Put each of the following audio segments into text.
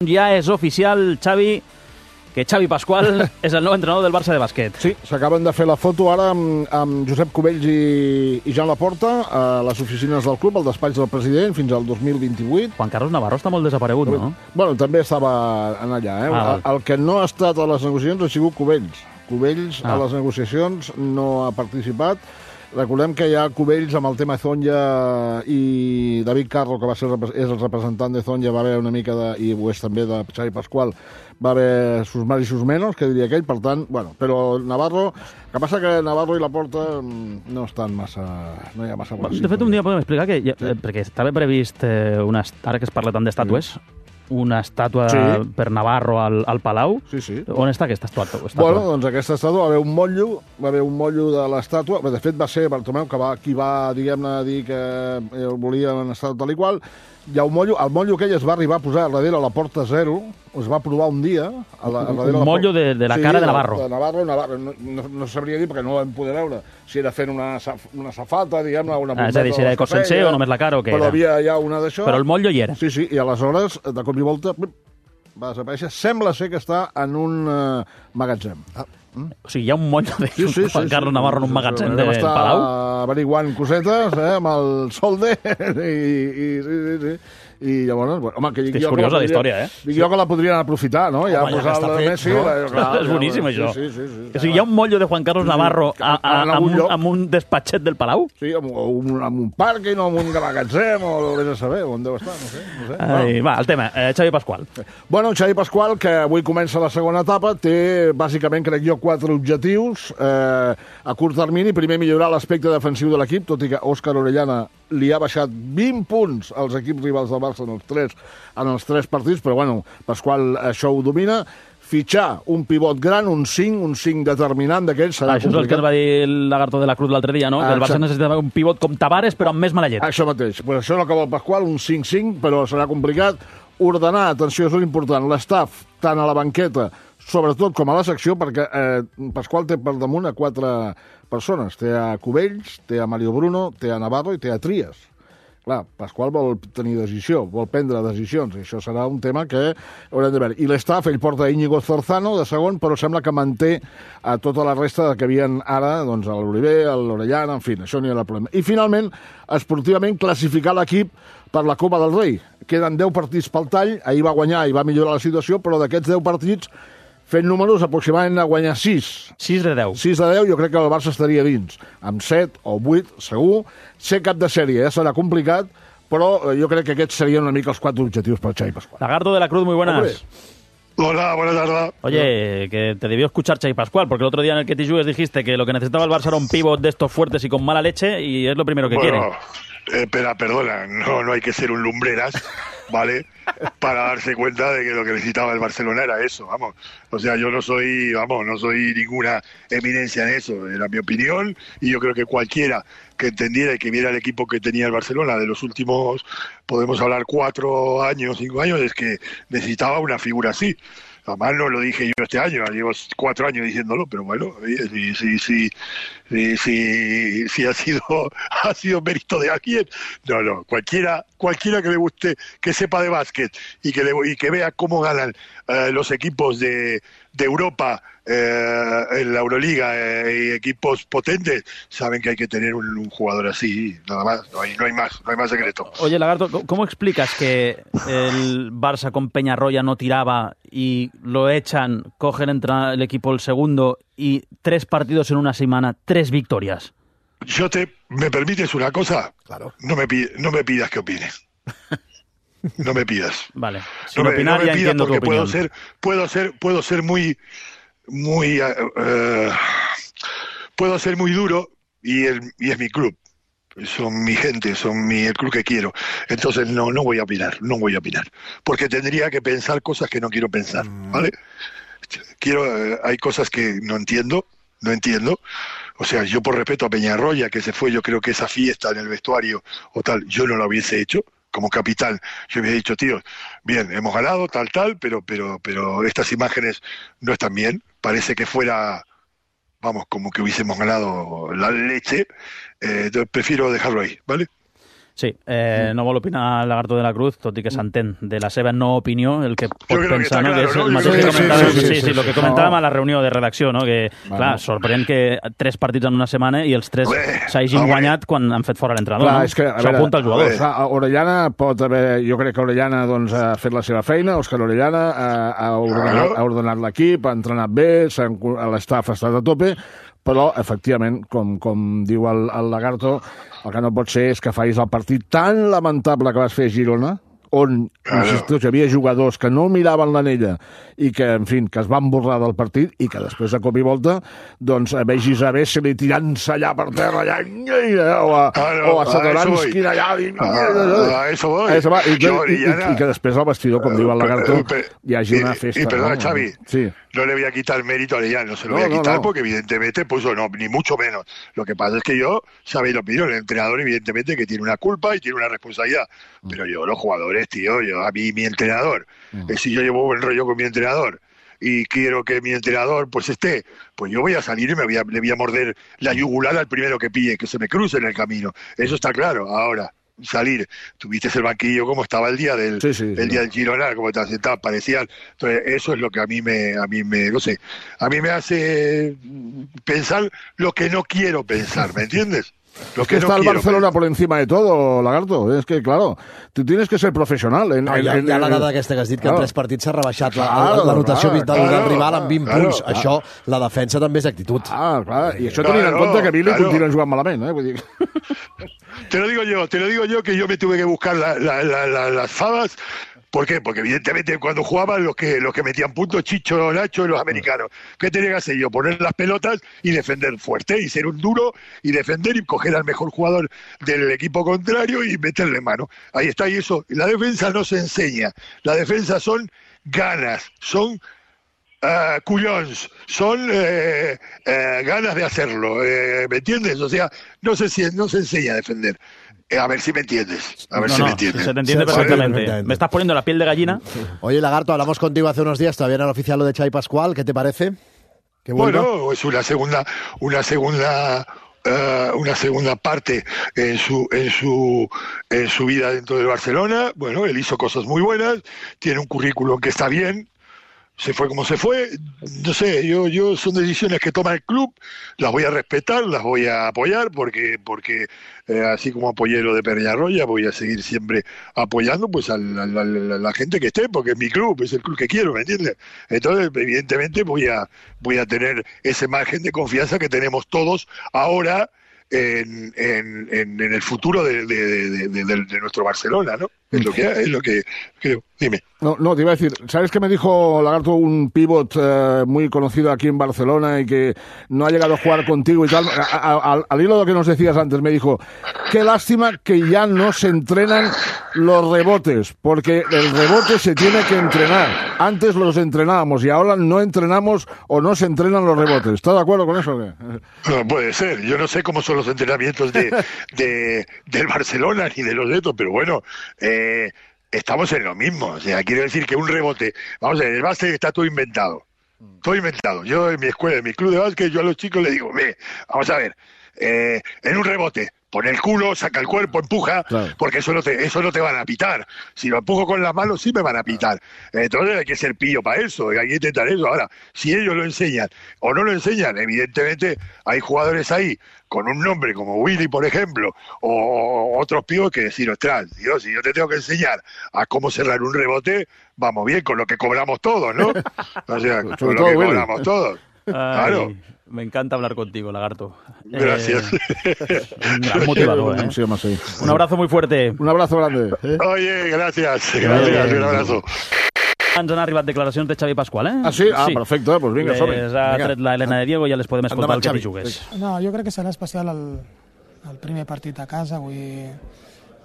Ja és oficial, Xavi, que Xavi Pascual és el nou entrenador del Barça de bàsquet. Sí, s'acaben de fer la foto ara amb Josep Cubells i Joan Laporta a les oficines del club, al despatx del president, fins al 2028. Juan Carlos Navarro està molt desaparegut, no? Bueno, també estava en allà. El que no ha estat a les negociacions ha sigut Cubells. Cubells a les negociacions no ha participat. Recordem que hi ha Cubells amb el tema Zonja i David Carro, que és el representant de Zonja, va haver una mica i ho és també de Xavi Pascual, va haver sus más i sus menos, que diria aquell, per tant, bueno, però Navarro, que passa que Navarro i Laporta no estan massa, no hi ha massa... De fet, un dia podem explicar que, perquè estava previst, ara que es parla tant d'estàtues, una estàtua per Navarro al Palau. Sí, sí. On està aquesta estàtua? Bueno, doncs aquesta estàtua va haver un motllo de l'estàtua. De fet, va ser Bartomeu qui va, diguem-ne, dir que volia una estàtua tal i qual. Hi ha un motllo. El motllo aquell es va arribar a posar darrere a la Porta Zero. Es va provar un dia. Un motllo de la cara de Navarro. De Navarro. No sabria dir perquè no ho vam poder veure. Si era fent una safata, diguem-ne, una bombeta. És a dir, si era de cos sencer o només la cara o què era. Però havia ja una d'això. Però el motllo hi era. Sí, sí, i aleshores, de cop i volta, va desaparèixer. Sembla ser que està en un magatzem. O sigui, hi ha un motllo de Juan Carlos Navarro en un magatzem del Palau? Està averiguant cosetes amb el solde i llavors, bueno, home, que dic és jo curiosa la història, Dic jo que la podrien aprofitar, no? Ja posar-la a Messi. És boníssim, això. O sigui, hi ha un motllo de Juan Carlos Navarro amb un despatxet del Palau? Sí, amb un pàrquing o amb un magatzem, o vés a saber on deu estar, no sé. Va, el tema, Xavi Pascual. Bueno, Xavi Pascual, que avui comença la segona etapa, té, bàsicament, crec jo, 4 objectius. A curt termini, primer, millorar l'aspecte defensiu de l'equip, tot i que Òscar Orellana li ha baixat 20 punts als equips rivals del Barça en els 3 partits, però bueno, Pascual això ho domina. Fitxar un pivot gran, un 5 determinant d'aquells serà complicat. Això és el que ens va dir el Lagarto de la Cruz l'altre dia, no? Que el Barça necessitava un pivot com Tavares, però amb més mala llet. Això mateix. Pues això és el que vol Pascual, un 5-5, però serà complicat. Ordenar, atenció, és important, l'estaf, tant a la banqueta, sobretot com a la secció, perquè Pascual té per damunt a 4 persones. Té a Cubells, té a Mario Bruno, té a Navarro i té a Trias. Clar, Pascual vol tenir decisió, vol prendre decisions, i això serà un tema que haurem de veure. I l'estaf, ell porta Íñigo Zorzano de segon, però sembla que manté a tota la resta que havien ara, doncs, l'Oliver, l'Orellana, en fi, això no hi ha problema. I finalment, esportivament, classificar l'equip per la Copa del Rei. Queden 10 partits pel tall, ahir va guanyar i va millorar la situació, però d'aquests 10 partits, fent números, aproximadament a guanyar 6. 6 de 10. 6 de 10, jo crec que el Barça estaria dins. Amb 7 o 8, segur. Ser cap de sèrie serà complicat, però jo crec que aquests serien una mica els 4 objectius per Xavi Pascual. Lagarto de la Cruz, muy buenas. Hola, buenas tardes. Oye, que te debió escuchar Xavi Pascual, porque el otro día en el que te jugues dijiste que lo que necesitaba el Barça era un pívot de estos fuertes y con mala leche, y es lo primero que quiere. Perdona, no hay que ser un lumbreras, ¿vale? Para darse cuenta de que lo que necesitaba el Barcelona era eso, vamos. O sea, yo no soy ninguna eminencia en eso, era mi opinión, y yo creo que cualquiera que entendiera y que viera el equipo que tenía el Barcelona de los últimos, podemos hablar 4 años, 5 años, es que necesitaba una figura así. Además no lo dije yo este año, llevo 4 años diciéndolo, pero bueno, sí ha sido mérito de alguien. No, cualquiera que le guste, que sepa de básquet y que vea cómo ganan los equipos de Europa en la Euroliga y equipos potentes, saben que hay que tener un jugador así, nada más, no hay más secreto. Oye, Lagarto, ¿cómo explicas que el Barça con Peñarroya no tiraba y lo echan, cogen el equipo el segundo y 3 partidos en una semana, 3 victorias? ¿Me permites una cosa? Claro. No me pidas que opine. No me pidas. Vale. Sin opinar, ya entiendo tu opinión. Puedo ser muy puedo ser muy duro y es mi club. Son mi gente, el club que quiero. Entonces no voy a opinar, porque tendría que pensar cosas que no quiero pensar, ¿vale? Hay cosas que no entiendo. O sea, yo por respeto a Peñarroya, que se fue, yo creo que esa fiesta en el vestuario o tal, yo no la hubiese hecho. Como capitán, yo hubiese dicho, tío, bien, hemos ganado, tal, pero estas imágenes no están bien. Parece que fuera, como que hubiésemos ganado la leche. Entonces prefiero dejarlo ahí, ¿vale? Sí, no vol opinar el Lagarto de la Cruz, tot i que s'entén de la seva no opinió, el que pot pensar, no? Que és el mateix que comentàvem, sí, el que comentàvem a la reunió de redacció, no? Que, clar, sorprèn que 3 partits en una setmana i els 3 s'hagin guanyat quan han fet fora l'entrenador, no? Això apunta als jugadors. Orellana pot haver... Jo crec que Orellana ha fet la seva feina, Òscar Orellana ha ordenat l'equip, ha entrenat bé, l'estaf ha estat a tope, però, efectivament, com diu el Lagarto, el que no pot ser és que facis el partit tan lamentable que vas fer a Girona, on, insisteix, hi havia jugadors que no miraven l'anella i que, en fi, que es van borrar del partit i que després, de cop i volta, doncs, vegis a Vesely tirant-se allà per terra, allà, o a Satoranski allà, i que després al vestidor, com diu el Lagarto, hi hagi una festa. Y perdona, Xavi, no le voy a quitar mérito a Orellana, no se lo voy a quitar porque evidentemente puso, no, ni mucho menos. Lo que pasa es que yo, sabéis lo opinión, el entrenador evidentemente que tiene una culpa y tiene una responsabilidad, pero yo, los jugadores, tío, a mí mi entrenador, si yo llevo buen rollo con mi entrenador y quiero que mi entrenador pues esté, pues yo voy a salir y le voy a morder la yugular al primero que pille, que se me cruce en el camino, eso está claro. Ahora, salir, tuviste el banquillo como estaba el día del día del Girona, como te sentado, parecían. Entonces eso es lo que a mí me no sé, a mí me hace pensar lo que no quiero pensar, ¿me entiendes? Es que está el Barcelona por encima de todo, Lagarto. Es que, claro, tú tienes que ser professional. Hi ha la dada aquesta que has dit, que en 3 partits s'ha rebaixat la notació del rival en 20 punts. Això, la defensa també és actitud. Clar. I això tenint en compte que Billy continua jugant malament, Vull dir... Te lo digo yo que yo me tuve que buscar las fabas. ¿Por qué? Porque evidentemente cuando jugaban los que metían puntos, Chicho, Nacho y los americanos, ¿qué tenía que hacer yo? Poner las pelotas y defender fuerte y ser un duro y defender y coger al mejor jugador del equipo contrario y meterle mano. Ahí está, y eso, la defensa no se enseña, la defensa son ganas, son cuyons, son ganas de hacerlo, ¿me entiendes? O sea, no se enseña a defender. A ver si me entiendes. Si me entiendes. Se te entiende perfectamente. Me estás poniendo la piel de gallina. Oye, Lagarto, hablamos contigo hace unos días, todavía no era oficial lo de Xavi Pascual. ¿Qué te parece? Bueno, es una segunda parte en su vida dentro del Barcelona. Bueno, él hizo cosas muy buenas, tiene un currículum que está bien. Se fue como se fue, no sé, yo son decisiones que toma el club, las voy a respetar, las voy a apoyar, porque así como apoyé lo de Peñarroya, voy a seguir siempre apoyando pues a la gente que esté, porque es mi club, es el club que quiero, ¿me entiendes? Entonces, evidentemente voy a tener ese margen de confianza que tenemos todos ahora en el futuro de nuestro Barcelona, ¿no? Es lo que creo. Dime. No, te iba a decir, ¿sabes qué me dijo, Lagarto, un pívot muy conocido aquí en Barcelona y que no ha llegado a jugar contigo y tal? Al hilo de lo que nos decías antes, me dijo, qué lástima que ya no se entrenan los rebotes, porque el rebote se tiene que entrenar. Antes los entrenábamos y ahora no entrenamos o no se entrenan los rebotes. ¿Estás de acuerdo con eso? No, puede ser. Yo no sé cómo son los entrenamientos del Barcelona ni de los de estos, pero bueno, estamos en lo mismo. O sea, quiero decir que un rebote, vamos a ver, el básquet está todo inventado. Todo inventado. Yo en mi escuela, en mi club de básquet, yo a los chicos les digo, vamos a ver, en un rebote, pone el culo, saca el cuerpo, empuja, claro, porque eso no te van a pitar. Si lo empujo con las manos, sí me van a pitar. Entonces hay que ser pillo para eso, hay que intentar eso. Ahora, si ellos lo enseñan o no lo enseñan, evidentemente hay jugadores ahí con un nombre como Willy, por ejemplo, o otros pibos que decir, ostras, Dios, si yo te tengo que enseñar a cómo cerrar un rebote, vamos bien con lo que cobramos todos, ¿no? O sea, con lo que cobramos todos. Claro. Me encanta hablar contigo, Lagarto. Gracias. Un gran motivador, ¿eh? Un abrazo muy fuerte. Un abrazo grande. Oye, gracias. Un abrazo. Ens han arribat declaracions de Xavi Pascual, eh? Ah, sí? Ah, sí. Perfecte, doncs vinga, som-hi. Les ha tret la Helena de Diego i ja les podem escoltar el que t'hi jugués. No, jo crec que serà especial el primer partit a casa, avui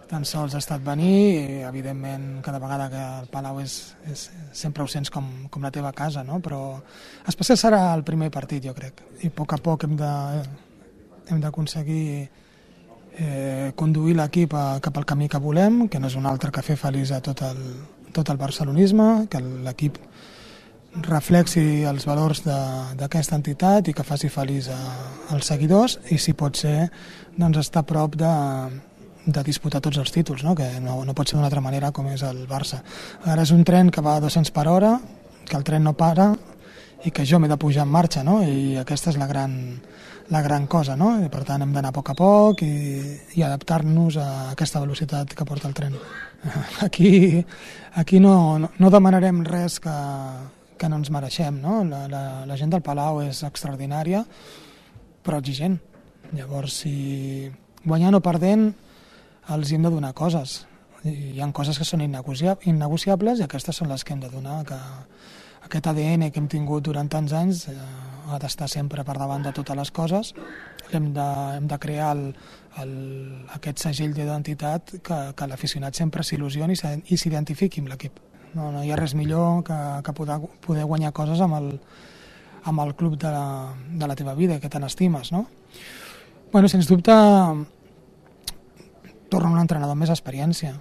tan sols ha estat venir i evidentment cada vegada que el Palau sempre ho sents com la teva casa, no? Però especial serà el primer partit, jo crec, i a poc hem d'aconseguir conduir l'equip cap al camí que volem, que no és un altre que fer feliç a tot el barcelonisme, que l'equip reflexi els valors d'aquesta entitat i que faci feliç als seguidors i si pot ser doncs estar a prop de disputar tots els títols, no? Que no pot ser d'una altra manera com és el Barça. Ara és un tren que va a 200 per hora, que el tren no para i que jo m'he de pujar en marxa, no? I aquesta és la gran cosa, no? I per tant hem d'anar a poc i adaptar-nos a aquesta velocitat que porta el tren. Aquí no demanarem res que no ens mereixem, no? La gent del Palau és extraordinària, però exigent. Llavors, si guanyant o perdent, els hem de donar coses. Hi ha coses que són innegociables i aquestes són les que hem de donar, que aquest ADN que hem tingut durant tants anys ha d'estar sempre per davant de totes les coses. Hem de crear aquest segell d'identitat que l'aficionat sempre s'il·lusioni i s'identifiqui amb l'equip. No hi ha res millor que poder guanyar coses amb el club de la teva vida, que tant estimes, no? Bueno, sens dubte, torna un entrenador amb més experiència.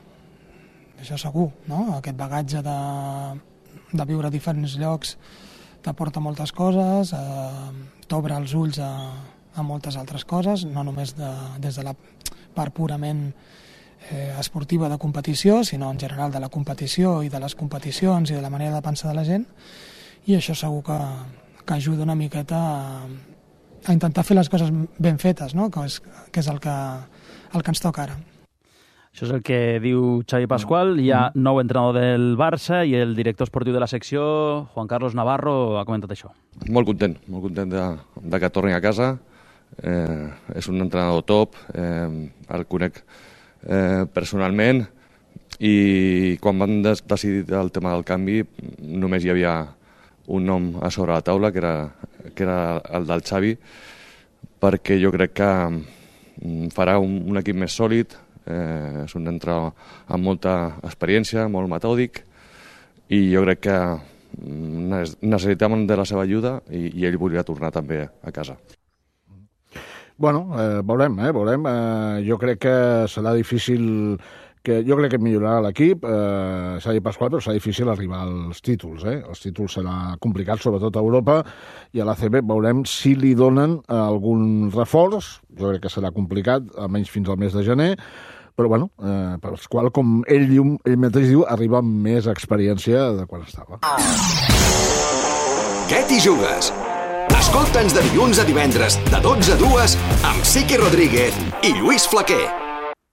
Això segur, no? Aquest bagatge de viure a diferents llocs t'aporta moltes coses, t'obre els ulls a moltes altres coses, no només des de la part purament esportiva de competició, sinó en general de la competició i de les competicions i de la manera de pensar de la gent, i això segur que ajuda una miqueta a intentar fer les coses ben fetes, no? Que és el que ens toca ara. Això és el que diu Xavi Pascual. Hi ha nou entrenador del Barça i el director esportiu de la secció, Juan Carlos Navarro, ha comentat això. Molt content de que torni a casa. És un entrenador top, el conec personalment, i quan van decidir el tema del canvi només hi havia un nom a sobre la taula, que era el del Xavi, perquè jo crec que farà un equip més sòlid. És un entrenador amb molta experiència, molt metòdic, i jo crec que necessitàvem de la seva ajuda i ell volia tornar també a casa. Bueno, veurem. Jo crec que serà difícil, jo crec que millorarà l'equip, Xavi Pascual, però serà difícil arribar als títols. Els títols serà complicat, sobretot a Europa, i a l'ACB veurem si li donen algun reforç. Jo crec que serà complicat, almenys fins al mes de gener, però bueno, Pascual, com ell mateix diu, arriba amb més experiència de quan estava. Què t'hi jugues? Escolta'ns de dilluns a divendres, de 12 a 2, amb Siqui Rodríguez i Lluís Flaquer.